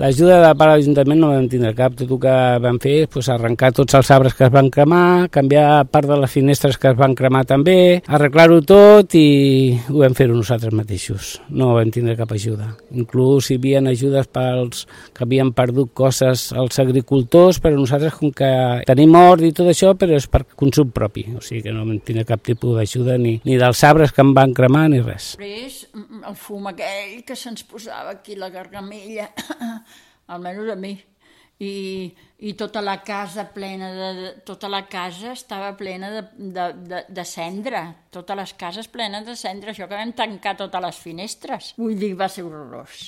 L'ajuda de part de l'Ajuntament no vam tindre cap. Tot el que vam fer és arrencar tots els arbres que es van cremar, canviar part de les finestres que es van cremar també, arreglar-ho tot i ho vam fer nosaltres mateixos. No vam tindre cap ajuda. Inclús hi havia ajudes pels que havien perdut coses als agricultors, però nosaltres, com que tenim hort i tot això, però és per consum propi. O sigui que no vam tindre cap tipus d'ajuda ni dels arbres que em van cremar ni res. Després, el fum aquell que se'ns posava aquí la gargamella, almenys a mi, i tota la casa tota la casa estava plena de cendra, totes les cases plenes de cendra, això que vam tancar totes les finestres. Vull dir, va ser horrorós.